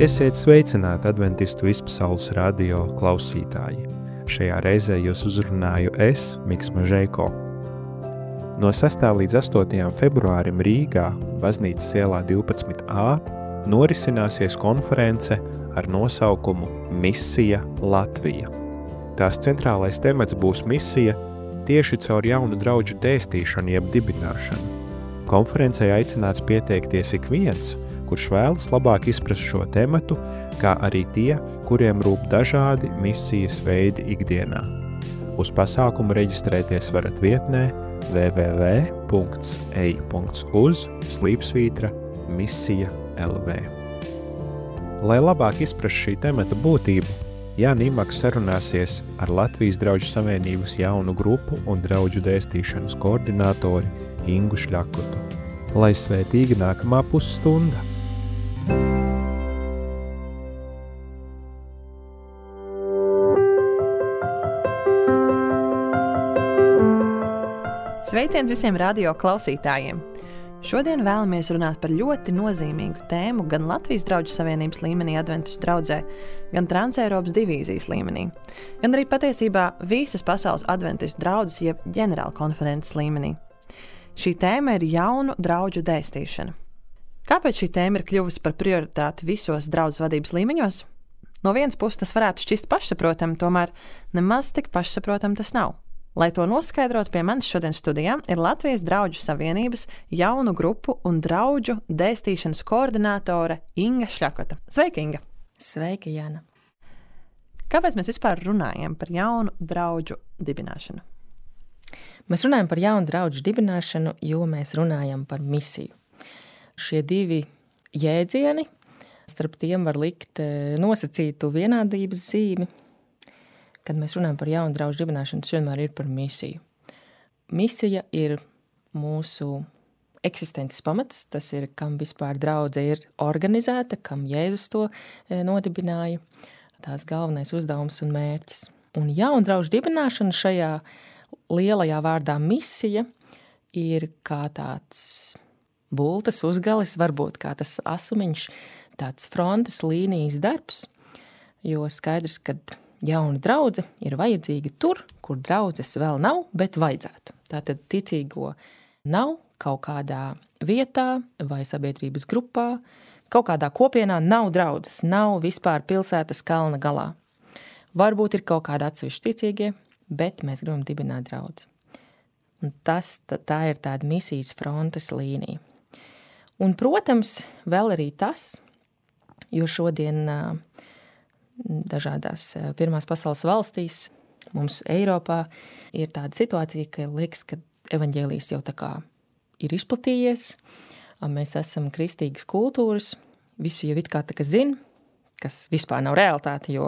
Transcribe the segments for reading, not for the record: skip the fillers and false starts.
Esiet sveicināti Adventistu Vispasaules radio klausītāji. Šajā reizē jūs uzrunāju es, Miks Mažeiko. No 6. līdz 8. februārim Rīgā, Baznīcas ielā 12a, norisināsies konference ar nosaukumu Misija Latvija. Tās centrālais temats būs misija tieši caur jaunu draudžu dēstīšanu jeb dibināšanu. Konferencei aicināts pieteikties ik viens, kurš vēlas labāk izprast šo tematu, kā arī tie, kuriem rūp dažādi misijas veidi ikdienā. Uz pasākumu reģistrēties varat vietnē www.ei.uz/misija.lv. Lai labāk izprast šī temata būtību, Jānis Imaks sarunāsies ar Latvijas Draudžu Savienības jaunu grupu un draudžu dēstīšanas koordinātori Ingu Šļakotu. Lai svētīga nākamā pusstunda! Sveiciens visiem radio klausītājiem! Šodien vēlamies runāt par ļoti nozīmīgu tēmu gan Latvijas Draudžu Savienības līmenī Adventistu draudzē, gan Transeiropas divīzijas līmenī, gan arī patiesībā visas pasaules Adventistu draudzes jeb ģenerāla konferences līmenī. Šī tēma ir jaunu draudžu dēstīšana. Kāpēc šī tēma ir kļuvusi par prioritāti visos draudzes vadības līmeņos? No vienas puses tas varētu šķist pašsaprotami, tomēr nemaz tik pašsaprotami tas nav. Lai to noskaidrotu, pie manis šodien studijā ir Latvijas Draudžu Savienības jaunu grupu un draudžu dēstīšanas koordinātore Inga Šļakota. Sveika, Inga! Sveika, Jāna! Kāpēc mēs vispār runājam par jaunu draudžu dibināšanu? Mēs runājam par jaunu draudžu dibināšanu, jo mēs runājam par misiju. Šie divi jēdzieni, starp tiem var likt nosacītu vienādības zīmi. Kad mēs runājam par jaunu draudžu dibināšanu, tas vienmēr ir par misiju. Misija ir mūsu eksistences pamats, tas ir, kam vispār draudze ir organizēta, kam Jēzus to nodibināja, tās galvenais uzdevums un mērķis. Un jaunu draudžu dibināšana šajā lielajā vārdā misija ir kā tāds bultas uzgalis, varbūt kā tas asumiņš, tāds frontes līnijas darbs, jo skaidrs, ka jauna draudze ir vajadzīga tur, kur draudzes vēl nav, bet vajadzētu. Tātad ticīgo nav kaut kādā vietā vai sabiedrības grupā, kaut kādā kopienā nav draudzes, nav vispār pilsētas kalna galā. Varbūt ir kaut kādi atsevišķi ticīgie, bet mēs gribam dibināt draudzi. Un tā ir tāda misijas frontes līnija. Un, protams, vēl arī tas, jo šodien dažādās pirmās pasaules valstīs, mums Eiropā ir tāda situācija, ka liekas, ka evaņģēlijs jau tā kā ir izplatījies, mēs esam kristīgas kultūras, visi jau it kā tā kā zina, kas vispār nav realitāte, jo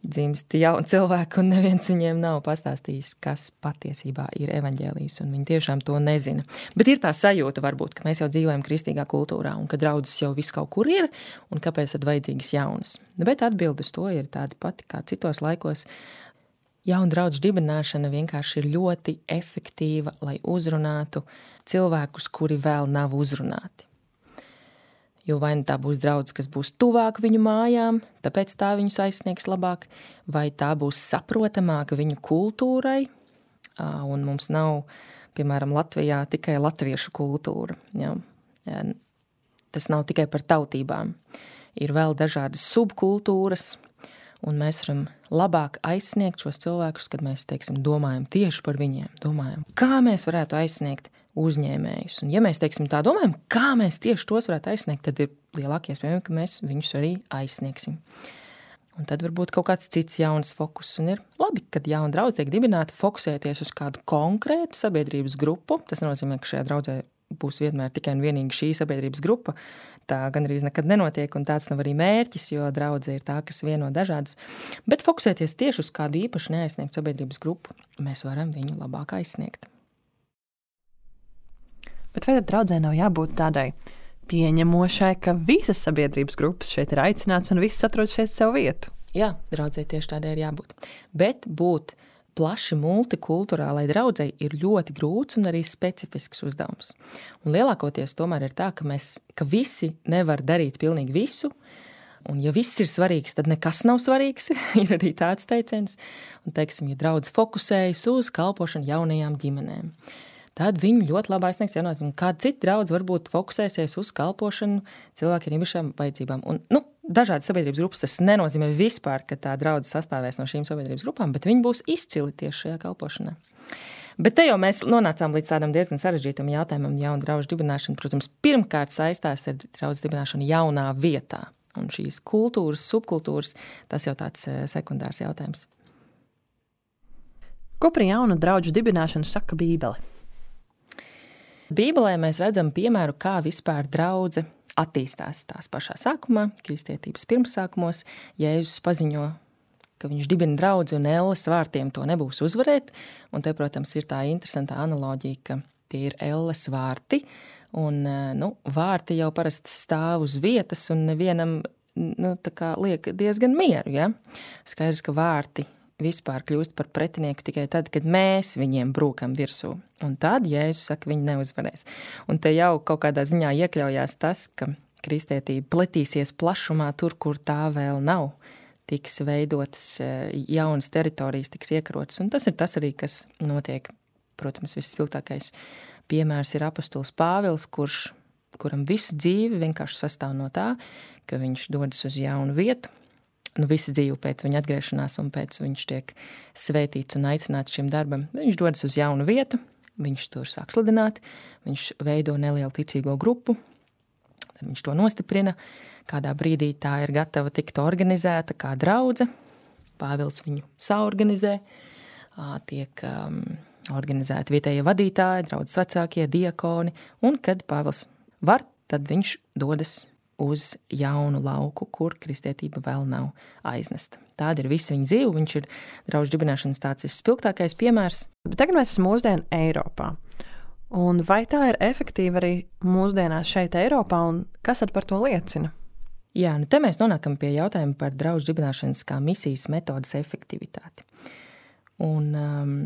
dzimst jauni cilvēki un neviens viņiem nav pastāstījis, kas patiesībā ir evaņģēlijs, un viņi tiešām to nezina. Bet ir tā sajūta varbūt, ka mēs jau dzīvojam kristīgā kultūrā un ka draudzes jau viss kaut kur ir, un kāpēc tad vajadzīgas jaunas. Bet atbildes to ir tādi pati kā citos laikos. Jauna draudžu dibināšana vienkārši ir ļoti efektīva, lai uzrunātu cilvēkus, kuri vēl nav uzrunāti. Jo vai tā būs draudze, kas būs tuvāk viņu mājām, tāpēc tā viņus aizsniegs labāk, vai tā būs saprotamāka viņu kultūrai, un mums nav, piemēram, Latvijā tikai latviešu kultūra. Ja? Tas nav tikai par tautībām. Ir vēl dažādas subkultūras, un mēs varam labāk aizsniegt šos cilvēkus, kad mēs, teiksim, domājam tieši par viņiem, domājam, kā mēs varētu aizsniegt uzņēmējus. Un ja mēs, teiksim, tā domājam, kā mēs tieši tos varētu aizsniegt, tad ir lielākie iespējami, ka mēs viņus arī aizsniegsim. Un tad varbūt kaut kāds cits jauns fokus. Un ir labi, kad jauna draudze tiek dibināta fokusēties uz kādu konkrētu sabiedrības grupu. Tas nozīmē, ka šajā draudzē būs vienmēr tikai un vienīgi šī sabiedrības grupa. Tā gandrīz nekad nenotiek, un tāds nav arī mērķis, jo draudze ir tā, kas vieno dažādas. Bet fokusēties tieši uz kādu īpaši neaizsniegtu sabiedrības grupu, mēs varam viņu labāk aizsniegt. Bet vai tad draudzē nav jābūt tādai pieņemošai, ka visas sabiedrības grupas šeit ir aicināts un viss atrod šeit savu vietu? Jā, draudzē tieši tādai ir jābūt. Bet būt plaši multikulturālai draudzei ir ļoti grūts un arī specifisks uzdevums. Un lielākoties tomēr ir tā, ka visi nevar darīt pilnīgi visu, Un ja viss ir svarīgs, tad nekas nav svarīgs, ir arī tāds teiciens. Un, teiksim, ja draudz fokusējas uz kalpošanu jaunajām ģimenēm, tad viņi ļoti labi aizsniegs jaunās. Un kāda cita draudz varbūt fokusēsies uz kalpošanu cilvēkiem ar īpašām vajadzībām. Un, dažādas sabiedrības grupas, tas nenozīmē vispār, ka tā draudze sastāvēs no šīm sabiedrības grupām, bet viņi būs izcili tieši šajā kalpošanā. Bet te jau mēs nonācām līdz tādam diezgan sarežģītam jautājumam. Jauna draudžu dibināšana, protams, pirmkārt saistās ar draudžu dibināšanu jaunā vietā. Un šīs kultūras, subkultūras, tas jau tāds sekundārs jautājums. Ko par jaunu draudžu dibināšanu saka Bībele? Bībelē mēs redzam piemēru, kā vispār draudze attīstās tās pašā sākumā, kristietības pirmsākumos. Jēzus paziņo, ka viņš dibina draudzi un elles vārtiem to nebūs uzvarēt. Un te, protams, ir tā interesantā analoģija, ka tie ir elles vārti. Un, vārti jau parasti stāv uz vietas un nevienam, tā kā liek diezgan mieru, ja? Skaidrs, ka vārti vispār kļūst par pretinieku tikai tad, kad mēs viņiem brūkam virsū. Un tad Jēzus saka, viņi neuzvarēs. Un te jau kaut kādā ziņā iekļaujās tas, ka kristietība pletīsies plašumā tur, kur tā vēl nav. Tiks veidotas jaunas teritorijas, tiks iekarotas. Un tas ir tas arī, kas notiek. Protams, visspilgtākais piemērs ir apostols Pāvils, kuram visa dzīve vienkārši sastāv no tā, ka viņš dodas uz jaunu vietu. Visa dzīve pēc viņa atgriešanās un pēc viņš tiek svētīts un aicināts šim darbam. Viņš dodas uz jaunu vietu, viņš tur sāk sludināt, viņš veido nelielu ticīgo grupu, tad viņš to nostiprina. Kādā brīdī tā ir gatava tikt organizēta kā draudze. Pāvils viņu saorganizē, tiek organizēti vietējie vadītāji, draudzes vecākie, diakoni, un kad Pāvils var, tad viņš dodas uz jaunu lauku, kur kristietība vēl nav aiznesta. Tāda ir visa viņa dzīve, viņš ir draudžu dibināšanas tāds spilgtākais piemērs. Bet tagad mēs esam mūsdienu Eiropā. Un vai tā ir efektīva arī mūsdienās šeit Eiropā, un kas tad par to liecina? Jā, te mēs nonākam pie jautājuma par draudžu dibināšanas kā misijas metodas efektivitāti. Un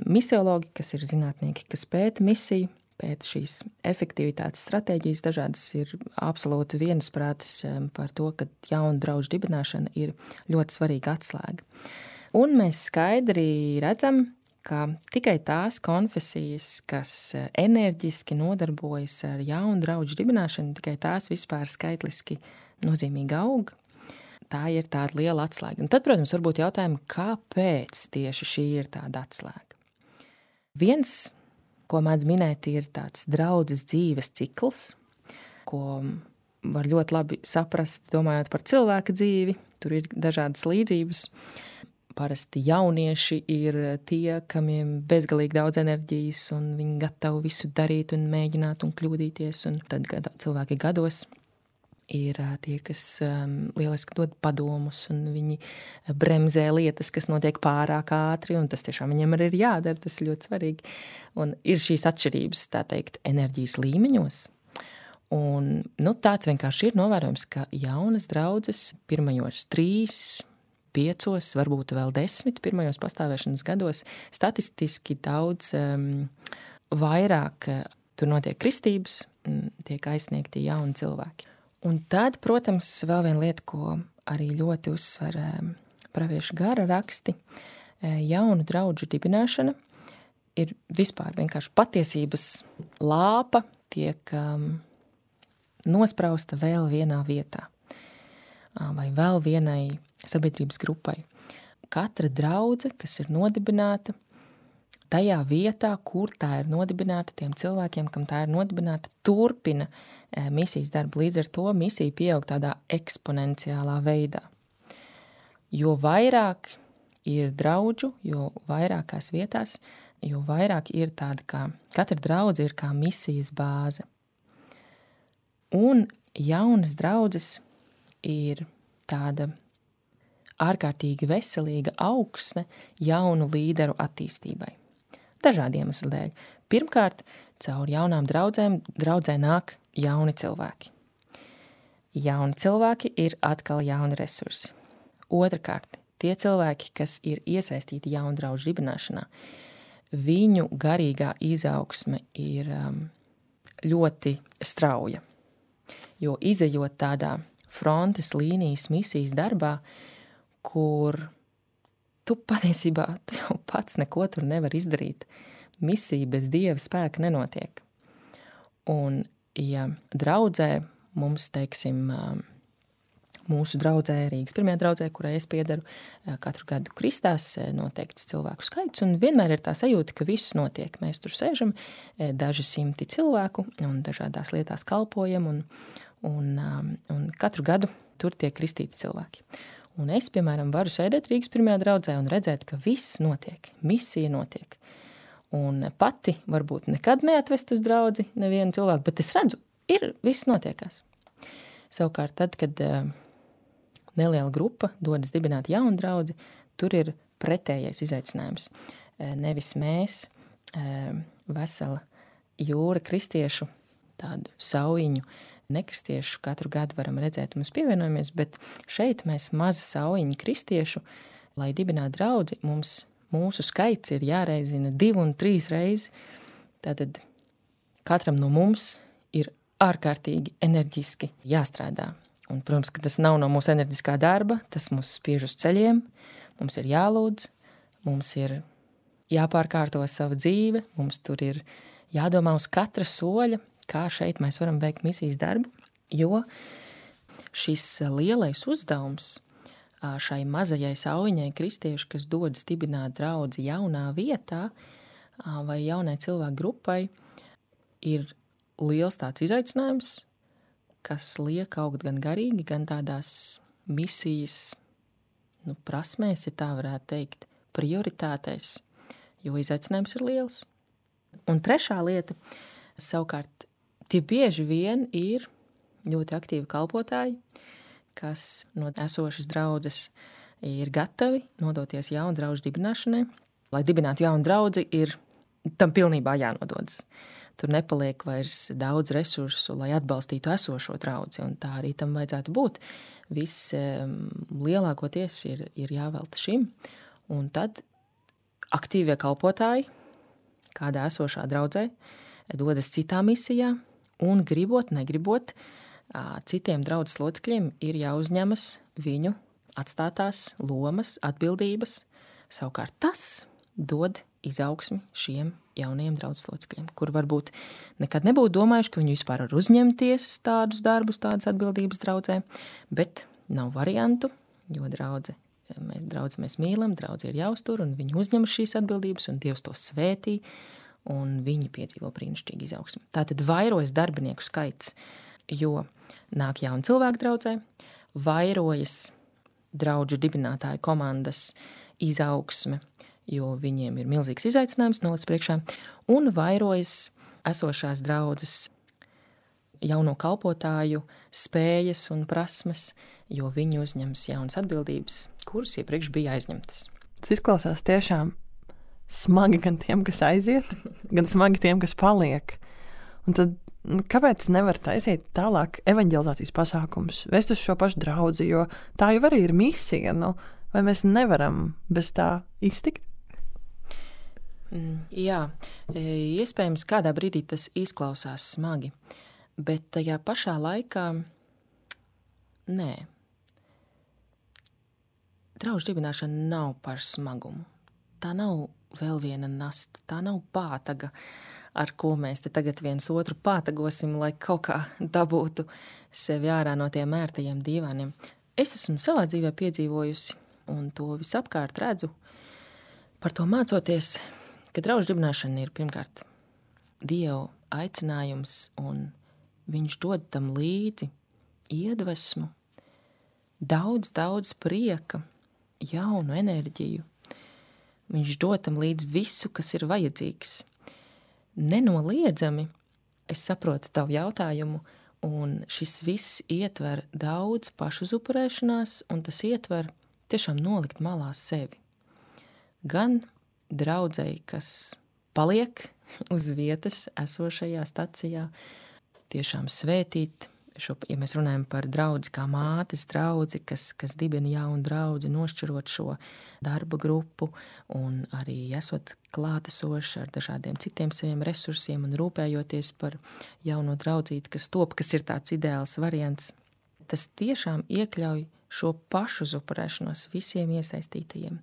misiologi, kas ir zinātnieki, kas pēta misiju, pēta šīs efektivitātes stratēģijas, dažādas ir absolūti viensprātis par to, ka jauna draudžu dibināšana ir ļoti svarīga atslēga. Un mēs skaidri redzam, ka tikai tās konfesijas, kas enerģiski nodarbojas ar jaunu draudžu dibināšanu, tikai tās vispār skaitliski nozīmīgi aug. Tā ir tāda liela atslēga. Un tad, protams, varbūt jautājumi, kāpēc tieši šī ir tāda atslēga. Viens, ko mēdz minēt, ir tāds draudzes dzīves cikls, ko var ļoti labi saprast, domājot par cilvēka dzīvi. Tur ir dažādas līdzības. Parasti jaunieši ir tie, kamiem bezgalīgi daudz enerģijas, un viņi gatavi visu darīt un mēģināt un kļūdīties. Un tad cilvēki gados ir tie, kas lieliski dod padomus, un viņi bremzē lietas, kas notiek pārāk ātri, un tas tiešām viņiem arī ir jādara, tas ir ļoti svarīgi. Un ir šīs atšķirības, tā teikt, enerģijas līmeņos. Un tāds vienkārši ir novērojams, ka jaunas draudzes pirmajos 3, 5, varbūt vēl 10 pirmajos pastāvēšanas gados statistiski daudz vairāk tur notiek kristības, tiek aizsniegti jauni cilvēki. Un tad, protams, vēl viena lieta, ko arī ļoti uzsver praviešu gara raksti, jaunu draudžu dibināšana ir vispār vienkārši patiesības lāpa tiek nosprausta vēl vienā vietā vai vēl vienai sabiedrības grupai. Katra draudze, kas ir nodibināta, tajā vietā, kur tā ir nodibināta, tiem cilvēkiem, kam tā ir nodibināta, turpina misijas darbu. Līdz ar to misija pieaug tādā eksponenciālā veidā. Jo vairāk ir draudžu, jo vairākās vietās, jo vairāk ir tāda kā, katra draudze ir kā misijas bāze. Un jaunas draudzes ir tāda ārkārtīgi veselīga augsne jaunu līderu attīstībai. Dažādi iemesli dēļ. Pirmkārt, caur jaunām draudzē nāk jauni cilvēki. Jauni cilvēki ir atkal jauni resursi. Otrakārt, tie cilvēki, kas ir iesaistīti jaunu draudžu dibināšanā, viņu garīgā izaugsme ir ļoti strauja. Jo izejot tādā frontes līnijas misijas darbā, kur tu patiesībā jau pats neko tur nevar izdarīt. Misija bez Dieva spēka nenotiek. Un, ja draudzē mums, teiksim, mūsu draudzē, Rīgas pirmajā draudzē, kurai es piedaru, katru gadu kristās noteikts cilvēku skaits, un vienmēr ir tā sajūta, ka viss notiek. Mēs tur sēžam, daži simti cilvēku, un dažādās lietās kalpojam, un katru gadu tur tiek kristīti cilvēki. Un es, piemēram, varu sēdēt Rīgas pirmajā draudzē un redzēt, ka viss notiek, misija notiek. Un pati varbūt nekad neatvest uz draudzi nevienu cilvēku, bet es redzu, viss notiekās. Savukārt tad, kad neliela grupa dodas dibināt jaunu draudzi, tur ir pretējais izaicinājums. Nevis mēs, vesela jūra kristiešu, tādu saujiņu nekristiešu katru gadu varam redzēt un mēs pievienojamies, bet šeit mēs maza saujiņa kristiešu, lai dibinātu draudzi, mūsu skaits ir jāreizina 2 un 3 reizes. Tātad katram no mums ir ārkārtīgi enerģiski jāstrādā. Un, protams, ka tas nav no mūsu enerģiskā darba, tas mūs spiež uz ceļiem, mums ir jālūdz, mums ir jāpārkārto savu dzīve, mums tur ir jādomā uz katra soļa, kā šeit mēs varam veikt misijas darbu, jo šis lielais uzdevums šai mazajai saujiņai kristiešu, kas dodas dibināt draudzi jaunā vietā vai jaunai cilvēku grupai, ir liels tāds izaicinājums, kas liek augt gan garīgi, gan tādās misijas prasmēs, ja tā varētu teikt, prioritātēs, jo izaicinājums ir liels. Un trešā lieta, savukārt, tie bieži vien ir ļoti aktīvi kalpotāji, kas no esošas draudzes ir gatavi nodoties jaunu draudžu dibināšanai. Lai dibinātu jaunu draudzi, ir tam pilnībā jānododas. Tur nepaliek vairs daudz resursu, lai atbalstītu esošo draudzi, un tā arī tam vajadzētu būt. Viss lielākoties ir jāvelta šim, un tad aktīvie kalpotāji, kādā esošā draudzē, dodas citā misijā, un gribot, negribot, citiem draudzes locekļiem ir jāuzņemas viņu atstātās lomas, atbildības. Savukārt tas dod izaugsmi šiem jaunajiem draudzes locekļiem, kur varbūt nekad nebūtu domājuši, ka viņi vispār var uzņemties tādus darbus, tādas atbildības draudzē, bet nav variantu, jo draudzi mēs mīlam, draudzi ir jāuztur, un viņi uzņem šīs atbildības, un Dievs to svētī, un viņi piedzīvo brīnišķīgu izaugsmi. Tātad vairojas darbinieku skaits, jo nāk jauni cilvēki draudzē, vairojas draudžu dibinātāju komandas izaugsme, jo viņiem ir milzīgs izaicinājums nolicis priekšā, un vairojas esošās draudzes jauno kalpotāju spējas un prasmes, jo viņi uzņems jaunas atbildības, kuras iepriekš bija aizņemtas. Tas izklausās tiešām smagi gan tiem, kas aiziet, gan smagi tiem, kas paliek. Un tad kāpēc nevar taisīt tālāk evanģelizācijas pasākumus, vest uz šo pašu draudzi, jo tā jau arī ir misija, vai mēs nevaram bez tā iztikt? Jā, iespējams kādā brīdī tas izklausās smagi, bet tajā pašā laikā nē. Draudžu dibināšana nav par smagumu. Tā nav vēl viena nasta, tā nav pātaga, ar ko mēs te tagad viens otru pātagosim, lai kaut kā dabūtu sevi ārā no tiem ērtajiem dīvāniem. Es esmu savā dzīvē piedzīvojusi, un to visapkārt redzu, par to mācoties, ka draudžu dibināšana ir pirmkārt Dieva aicinājums, un viņš dod tam līdzi iedvesmu, daudz prieka, jaunu enerģiju. Viņš dod tam līdzi visu, kas ir vajadzīgs. Nenoliedzami es saprotu tavu jautājumu, un šis viss ietver daudz pašuzupurēšanās, un tas ietver tiešām nolikt malā sevi. Gan draudzei, kas paliek uz vietas esošajā stacijā, tiešām svētīt, ja mēs runājam par draudzi kā mātes draudzi, kas dibina jaunu draudzi, nošķirot šo darba grupu un arī esot klātesoši ar dažādiem citiem saviem resursiem un rūpējoties par jauno draudzīti, kas top, kas ir tāds ideāls variants. tas tiešām iekļauj šo pašu upurēšanos visiem iesaistītajiem.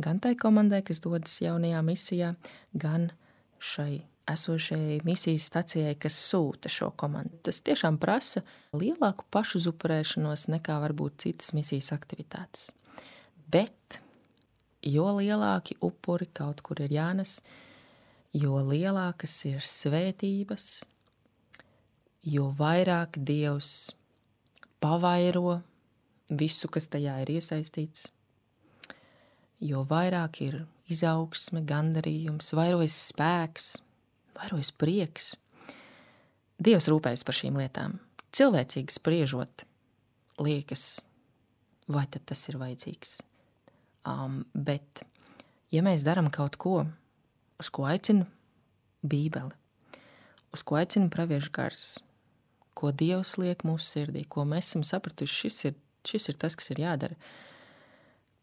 Gan tai komandai, kas dodas jaunajā misijā, gan šai esošajai misijas stacijai, kas sūta šo komandu. Tas tiešām prasa lielāku pašu upurēšanos nekā varbūt citas misijas aktivitātes. Bet jo lielāki upuri kaut kur ir jānes, jo lielākas ir svētības, jo vairāk Dievs pavairo visu, kas tajā ir iesaistīts, jo vairāk ir izaugsme, gandarījums, vairojas spēks, vairojas prieks. Dievs rūpējas par šīm lietām. Cilvēcīgi spriežot, liekas, vai tad tas ir vajadzīgs. Bet, ja mēs darām kaut ko, uz ko aicina Bībele, uz ko aicina praviešu gars, ko Dievs liek mūsu sirdī, ko mēs esam sapratuši, šis ir tas, kas ir jādara,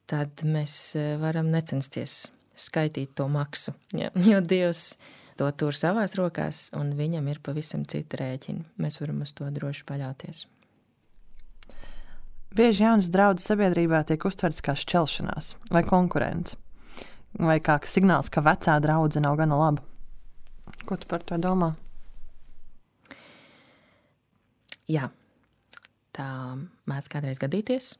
tad mēs varam necensties skaitīt to maksu, jo Dievs to tur savās rokās, un viņam ir pavisam citi rēķini. Mēs varam uz to droši paļauties. Bieži jaunas draudzes sabiedrībā tiek uztverts kā šķelšanās vai konkurence, vai kā signāls, ka vecā draudze nav gana laba. Ko tu par to domā? Jā, tā mēdz kādreiz gadīties,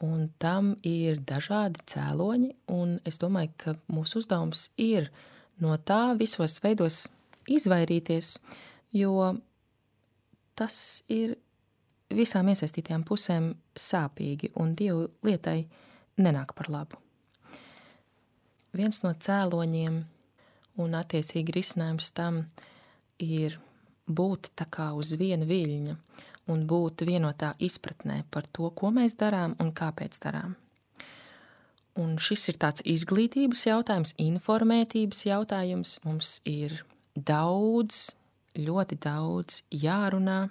un tam ir dažādi cēloņi, un es domāju, ka mūsu uzdevums ir no tā visos veidos izvairīties, jo tas ir visām iesaistītajām pusēm sāpīgi un Dievu lietai nenāk par labu. Viens no cēloņiem un attiecīgi risinājums tam ir būt tā kā uz viena viļņa un būt vienotā izpratnē par to, ko mēs darām un kāpēc darām. Un šis ir tāds izglītības jautājums, informētības jautājums. Mums ir daudz, ļoti daudz jārunā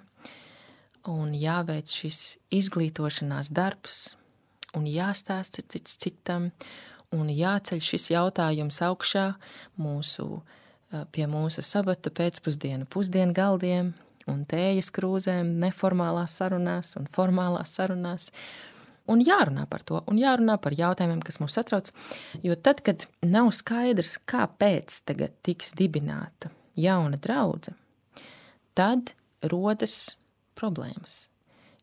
un jāveic šis izglītošanās darbs un jāstāsta cits citam un jāceļ šis jautājums augšā pie mūsu sabata pēcpusdienu pusdienu galdiem un tējas krūzēm, neformālās sarunās un formālās sarunās. Un jārunā par to, un jārunā par jautājumiem, kas mūs satrauc, jo tad, kad nav skaidrs, kāpēc tagad tiks dibināta jauna draudze, tad rodas problēmas,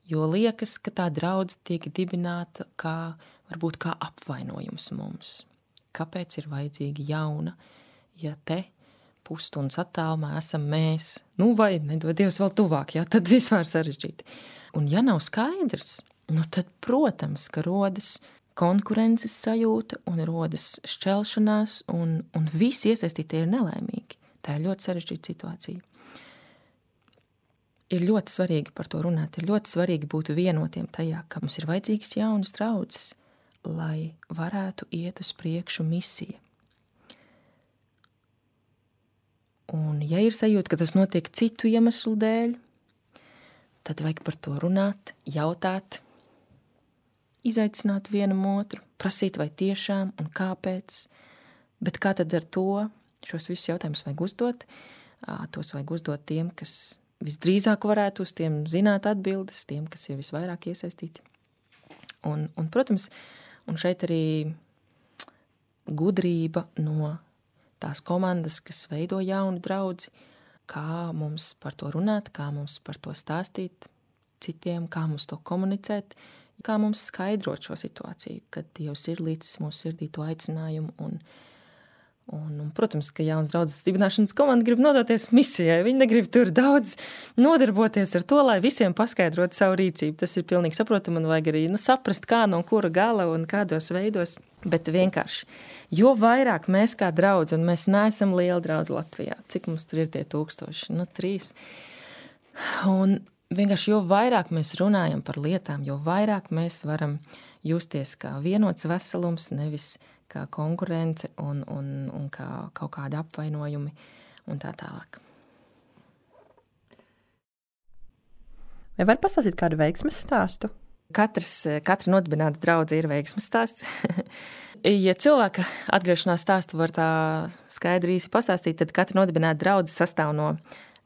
jo liekas, ka tā draudze tiek dibināta varbūt kā apvainojums mums. Kāpēc ir vajadzīga jauna, ja te pusstundas attālumā esam mēs, vai nedod Dievs vēl tuvāk, tad vispār sarežģīti. Un ja nav skaidrs, tad, protams, ka rodas konkurences sajūta un rodas šķelšanās un visi iesaistītie ir nelaimīgi. Tā ir ļoti sarežģīta situācija. Ir ļoti svarīgi par to runāt, ir ļoti svarīgi būt vienotiem tajā, ka mums ir vajadzīgas jaunas draudzes, lai varētu iet uz priekšu misija. Un ja ir sajūta, ka tas notiek citu iemeslu dēļ, tad vajag par to runāt, jautāt, izaicināt vienam otru, prasīt vai tiešām un kāpēc, bet kā tad ar to šos visus jautājumus vajag uzdot, tos vajag uzdot tiem, kas visdrīzāk varētu uz tiem zināt atbildes, tiem, kas ir visvairāk iesaistīti. Un protams, un šeit arī gudrība no tās komandas, kas veido jaunu draudzi, kā mums par to runāt, kā mums par to stāstīt citiem, kā mums to komunicēt, kā mums skaidrot šo situāciju, kad Dievs ir līdz mūsu sirdī to aicinājumu. Un, protams, ka jaunas draudzes dibināšanas komanda grib nodoties misijai. Viņi negrib tur daudz nodarboties ar to, lai visiem paskaidrotu savu rīcību. Tas ir pilnīgi saprotami un vajag arī saprast, kā no kura gala un kādos veidos. Bet vienkārši, jo vairāk mēs kā draudzi, un mēs neesam liela draudze Latvijā, cik mums tur ir tie 1000? 3. Un vienkārši, jo vairāk mēs runājam par lietām, jo vairāk mēs varam justies kā vienots veselums, nevis kā konkurence un kā kaut kādi apvainojumi un tā tālāk. Vai var pastāstīt kādu veiksmes stāstu? Katra nodibināta draudze ir veiksmes stāsts. Ja cilvēka atgriešanās stāstu var tā skaidri īsi pastāstīt, tad katra nodibināta draudze sastāv no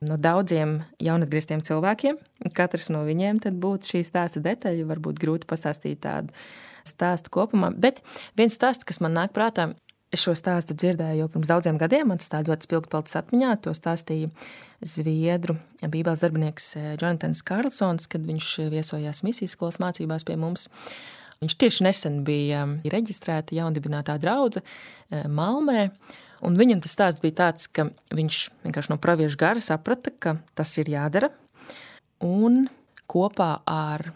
no daudziem jaunatgrieztiem cilvēkiem. Katrs no viņiem tad būtu šī stāsta detaļa, varbūt grūti pastāstīt tādu stāstu kopumā. Bet viens stāsts, kas man nāk prātā, es šo stāstu dzirdēju jau pirms daudziem gadiem, man tas tā ļoti spilgti palicis atmiņā, to stāstīja Zviedru bībeles darbinieks Jonatans Karlsons, kad viņš viesojās misijas skolas mācībās pie mums. Viņš tieši nesen bija reģistrēta jaundibinātā draudze Malmē, un viņam tas stāsts bija tāds, ka viņš vienkārši no praviešu gara saprata, ka tas ir jādara, un kopā ar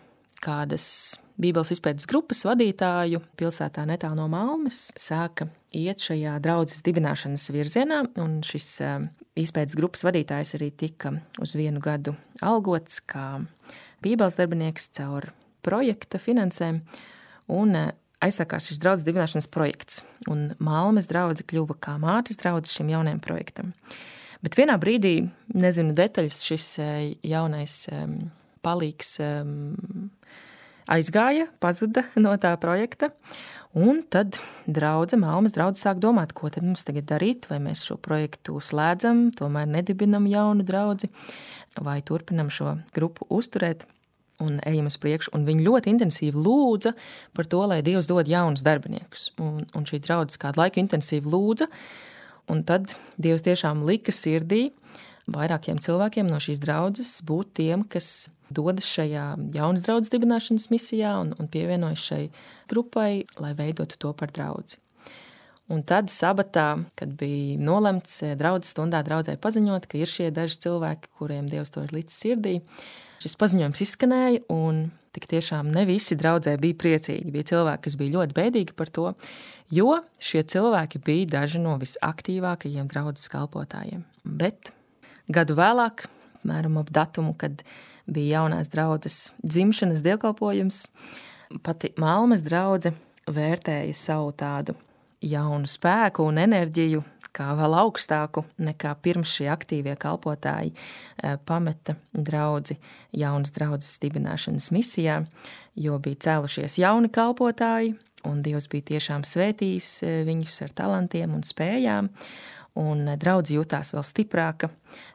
kādas Bībeles izpētes grupas vadītāju pilsētā netālu no Malmes sāka iet šajā draudzes dibināšanas virzienā, un šis izpētes grupas vadītājs arī tika uz 1 gadu algots kā Bībeles darbinieks caur projekta finansēm, un aizsākās šis draudzes dibināšanas projekts, un Malmes draudze kļuva kā mātes draudze šim jaunajam projektam. Bet vienā brīdī, nezinu detaļas, šis jaunais palīgs aizgāja, pazuda no tā projekta, un tad Malmes draudze sāk domāt, ko tad mums tagad darīt, vai mēs šo projektu slēdzam, tomēr nedibinam jaunu draudzi, vai turpinam šo grupu uzturēt un ejam uz priekšu. Un viņi ļoti intensīvi lūdza par to, lai Dievs dod jaunus darbiniekus. Un šī draudze kādu laiku intensīvi lūdza, un tad Dievs tiešām lika sirdī vairākiem cilvēkiem no šīs draudzes būt tiem, kas dodas šajā jaunas draudzes dibināšanas misijā un pievienojas šai grupai, lai veidotu to par draudzi. Un tad sabatā, kad bija nolemts draudzes stundā draudzē paziņot, ka ir šie daži cilvēki, kuriem Dievs to ir licis sirdī, šis paziņojums izskanēja, un tik tiešām ne visi draudzē bija priecīgi. Bija cilvēki, kas bija ļoti bēdīgi par to, jo šie cilvēki bija daži no visaktīvākajiem draudzes kalpotājiem. Bet gadu vēlāk, mēram ap datumu, kad bija jaunās draudzes dzimšanas dievkalpojums, pati Malmes draudze vērtēja savu tādu jaunu spēku un enerģiju kā vēl augstāku nekā pirms šie aktīvie kalpotāji pameta draudzi jaunas draudzes dibināšanas misijā, jo bija cēlušies jauni kalpotāji, un Dievs bija tiešām svētījis viņus ar talantiem un spējām, un draudze jutās vēl stiprāka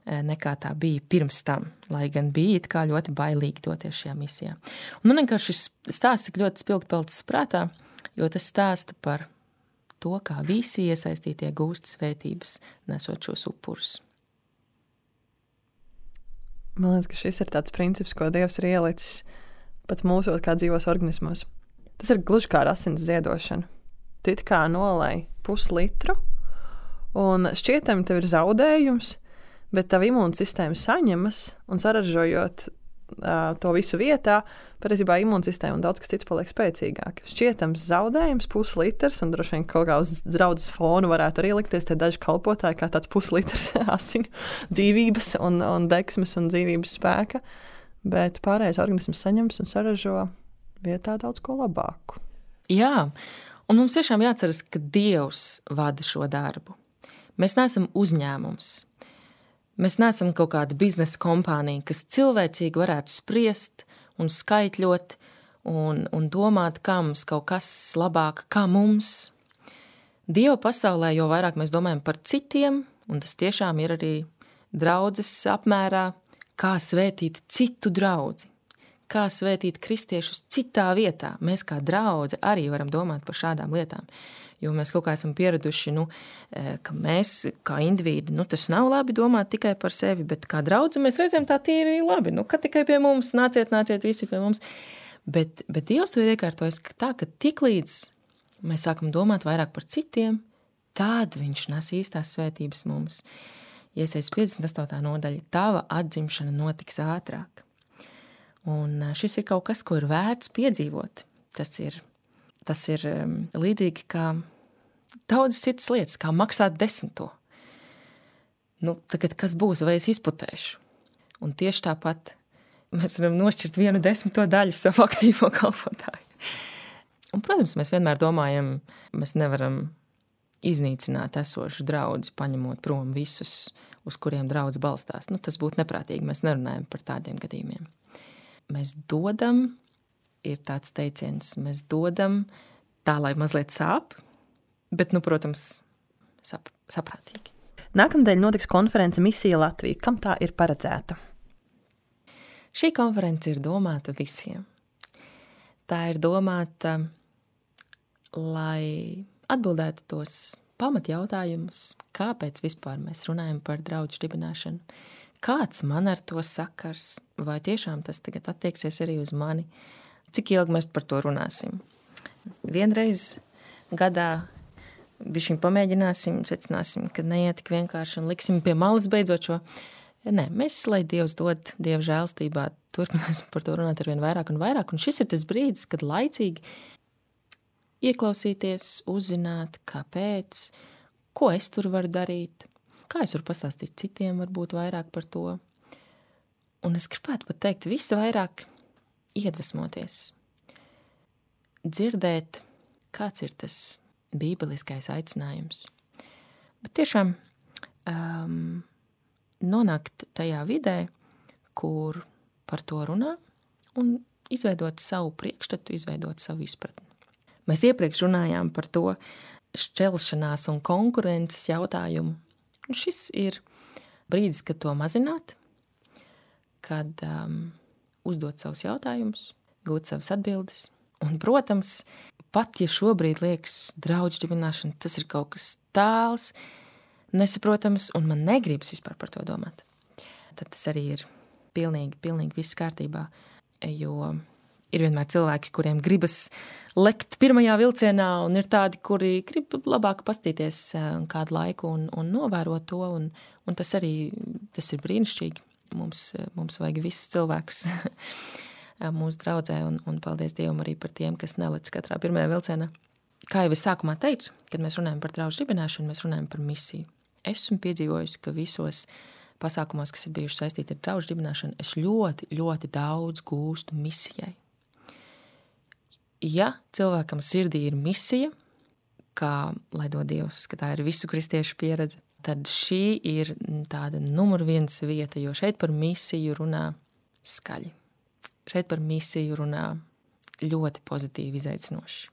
nekā tā bija pirms tam, lai gan bija it kā ļoti bailīgi doties šajā misijā. Un man vienkārši šis stāsts tik ļoti spilgti palicis prātā, jo tas stāsta par to, kā visi iesaistītie gūst svētības, nesot šos upurus. Man liekas, ka šis ir tāds princips, ko Dievs ir ielicis pat mūsos kā dzīvos organismos. Tas ir gluži kā ar asins ziedošanu. Tu it kā nolej puslitru, un šķietam tev ir zaudējums, bet tava imūnsistēma saņemas, un saražojot to visu vietā, patiesībā imūnsistēma un daudz kas cits paliek spēcīgāk. Šķietams zaudējums, puslitrs, un droši vien kaut kā uz draudzes fonu varētu arī likties tie daži kalpotāji kā tāds puslitrs asinu dzīvības un deksmes un dzīvības spēka, bet pārējais organisms saņems un saražo vietā daudz ko labāku. Jā, un mums tiešām jāatceras, ka Dievs vada šo darbu. Mēs neesam uzņēmums. Mēs neesam kaut kāda biznesa kompānija, kas cilvēcīgi varētu spriest un skaitļot un domāt, kā mums kaut kas labāk, kā mums. Dieva pasaulē, jo vairāk mēs domājam par citiem, un tas tiešām ir arī draudzes apmērā, kā svētīt citu draudzi, kā svētīt kristiešus citā vietā. Mēs kā draudze arī varam domāt par šādām lietām. Jo mēs kaut kā esam pieraduši, ka mēs kā individi, tas nav labi domāt tikai par sevi, bet kā draudze mēs reizēm tā tīri labi, ka tikai pie mums, nāciet visi pie mums. Bet Dievs to ir iekārtojis tā, ka tiklīdz mēs sākam domāt vairāk par citiem, tad viņš nes īstās svētības mums. Iesaijas 58. nodaļa, tava atzimšana notiks ātrāk. Un šis ir kaut kas, ko ir vērts piedzīvot. Tas ir līdzīgi kā daudzas citas lietas, kā maksāt 10. Tagad kas būs, vai es izputēšu? Un tieši tāpat mēs varam nošķirt 1/10 daļu savu aktīvo kalpotāju. Un, protams, mēs vienmēr domājam, mēs nevaram iznīcināt esošu draudzi, paņemot prom visus, uz kuriem draudz balstās. Tas būtu neprātīgi, mēs nerunājam par tādiem gadījumiem. Mēs dodam, ir tāds teiciens, mēs dodam tā, lai mazliet sāp, bet, protams, saprātīgi. Nākamnedēļ notiks konference Misija Latvija. Kam tā ir paredzēta? Šī konference ir domāta visiem. Tā ir domāta, lai atbildētu tos pamatjautājumus, kāpēc vispār mēs runājam par draudžu dibināšanu, kāds man ar to sakars, vai tiešām tas tagad attieksies arī uz mani, cik ilgi mēs par to runāsim. Vienreiz gadā bišķiņ pamēģināsim, secināsim, ka neiet tik vienkārši un liksim pie malas beidzot šo. Nē, mēs, lai Dievs dod Dieva žēlstībā, turpināsim par to runāt arvien vairāk un vairāk, un šis ir tas brīdis, kad laicīgi ieklausīties, uzzināt, kāpēc, ko es tur varu darīt, kā es varu pastāstīt citiem varbūt vairāk par to. Un es gribētu pat teikt, visu vairāk iedvesmoties, dzirdēt, kāds ir tas bībeliskais aicinājums. Bet tiešām nonākt tajā vidē, kur par to runā un izveidot savu priekšstatu, izveidot savu izpratni. Mēs iepriekš runājām par to šķelšanās un konkurences jautājumu. Un šis ir brīdis, kad to mazināt, kad uzdot savus jautājumus, gūt savas atbildes. Un, protams, pat ja šobrīd liekas draudžu dibināšana, tas ir kaut kas tāls, nesaprotams, un man negribas vispār par to domāt. Tad tas arī ir pilnīgi viss kārtībā, jo ir vienmēr cilvēki, kuriem gribas lekt pirmajā vilcienā, un ir tādi, kuri grib labāk pastīties kādu laiku un novērot to, un tas arī, tas ir brīnišķīgi. Mums vajag visus cilvēkus mūsu draudzē, un paldies Dievam arī par tiem, kas nelec katrā pirmajā vilcienā. Kā jau es sākumā teicu, kad mēs runājam par draudžu dibināšanu, mēs runājam par misiju. Esmu piedzīvojusi, ka visos pasākumos, kas ir bijuši saistīti ar draudžu dibināšanu, es ļoti daudz gūstu misijai. Ja cilvēkam sirdī ir misija, kā lai dod Dievs, ka tā ir visu kristiešu pieredze, tad šī ir tāda numur 1 vieta, jo šeit par misiju runā skaļi. Šeit par misiju runā ļoti pozitīvi izaicinoši.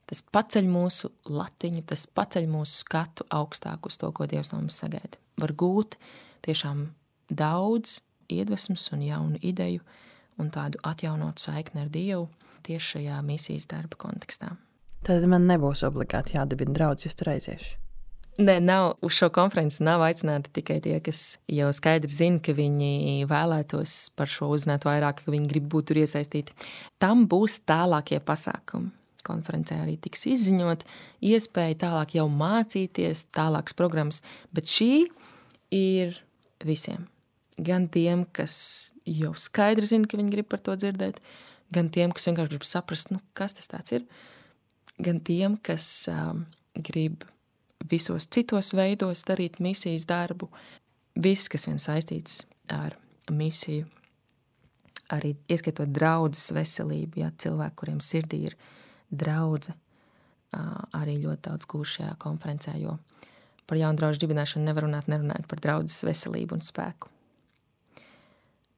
Tas paceļ mūsu latiņu, tas paceļ mūsu skatu augstāk uz to, ko Dievs no mums sagaida. Var gūt tiešām daudz iedvesmas un jaunu ideju un tādu atjaunotu saikni ar Dievu tieši šajā misijas darba kontekstā. Tad man nebūs obligāti jādibina draudz, jūs tur aiziešu. Nē, uz šo konferenci nav aicināti tikai tie, kas jau skaidri zina, ka viņi vēlētos par šo uzzināt vairāk, ka viņi grib būt tur iesaistīti. Tam būs tālākie pasākumi. Konferencē arī tiks izziņot iespēja tālāk jau mācīties, tālākas programmas, bet šī ir visiem. Gan tiem, kas jau skaidri zina, ka viņi grib par to dzirdēt, gan tiem, kas vienkārši grib saprast, kas tas tāds ir, gan tiem, kas grib visos citos veidos darīt misijas darbu. Viss, kas vien saistīts ar misiju, arī ieskaitot draudzes veselību, ja cilvēki, kuriem sirdī ir draudze, arī ļoti daudz gūs šajā konferencē, jo par jaunu draudžu dibināšanu nevar runāt, nerunājot par draudzes veselību un spēku.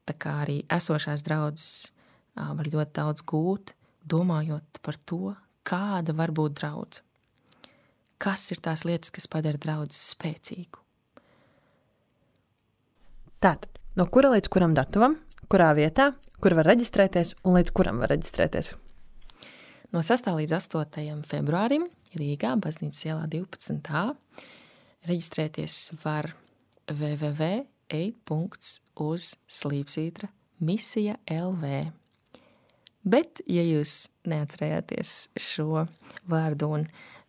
Tā kā arī esošās draudzes var ļoti daudz gūt, domājot par to, kāda var būt draudze. Kas ir tās lietas, kas padara draudzes spēcīgu? Tātad, no kura līdz kuram datumam, kurā vietā, kur var reģistrēties un līdz kuram var reģistrēties? No 6. līdz 8. februārim Rīgā, Baznīcas ielā 12a, reģistrēties var www.ej.uz/misija.lv. Bet, ja jūs neatcerējāties šo vārdu un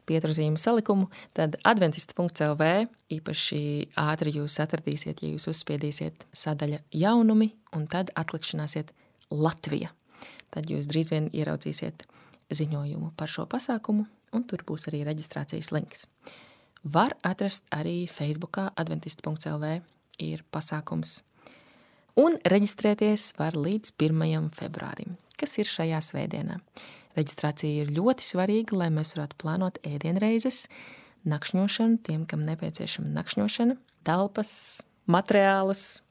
pieturzīmu salikumu, tad adventista.lv īpaši ātri jūs atradīsiet, ja jūs uzspiedīsiet sadaļa jaunumi un tad atlikšanāsiet Latvija. Tad jūs drīz vien ieraudzīsiet ziņojumu par šo pasākumu, un tur būs arī reģistrācijas links. Var atrast arī Facebookā adventista.lv ir pasākums. Un reģistrēties var līdz 1. februārim, kas ir šajā svētdienā. Reģistrācija ir ļoti svarīga, lai mēs varētu plānot ēdienreizes, nakšņošanu, tiem, kam nepieciešama nakšņošana, telpas, materiālus.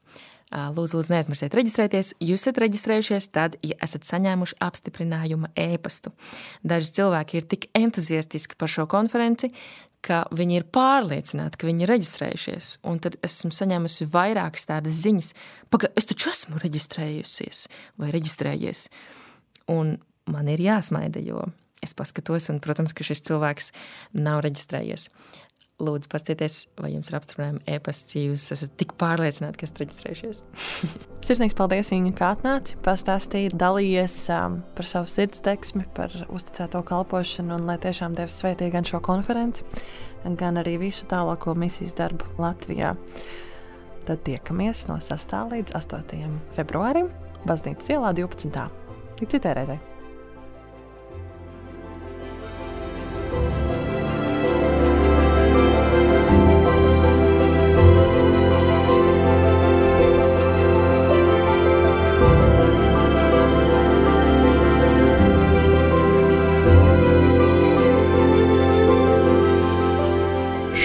Lūdzu, neaizmirsiet reģistrēties. Jūs esat reģistrējušies tad, ja esat saņēmuši apstiprinājuma ēpastu. Daži cilvēki ir tik entuziastiski par šo konferenci, ka viņi ir pārliecināti, ka viņi ir reģistrējušies. Un tad esmu saņēmusi vairākas tādas ziņas, es taču esmu reģistrējusies vai reģistrējies. Un man ir jāsmaida, jo es paskatos, un, protams, ka šis cilvēks nav reģistrējies. Lūdzu, pastieties, vai jums ir apstiprinājumi e-pasts, ja jūs esat tik pārliecināti, ka esat reģistrējušies. Sirsnīgs paldies, Inga, kā atnāci, pastāstīji, dalījies par savu sirdsdeksmi, par uzticēto kalpošanu, un lai tiešām Dievs svētī gan šo konferenci, gan arī visu tālāko misijas darbu Latvijā. Tad tiekamies no 6. līdz 8. februārim Baznīcas ielā 12. Līdz citai reizei.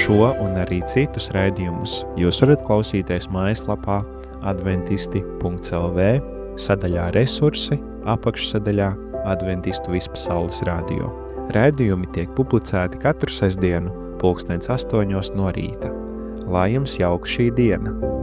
Šo un arī citus raidījumus jūs varat klausīties mājaslapā adventisti.lv, sadaļā resursi, apakšsadaļā Adventistu vispasaules radio. Raidījumi tiek publicēti katru sestdienu 8:00 no rīta. Lai jums jauka šī diena!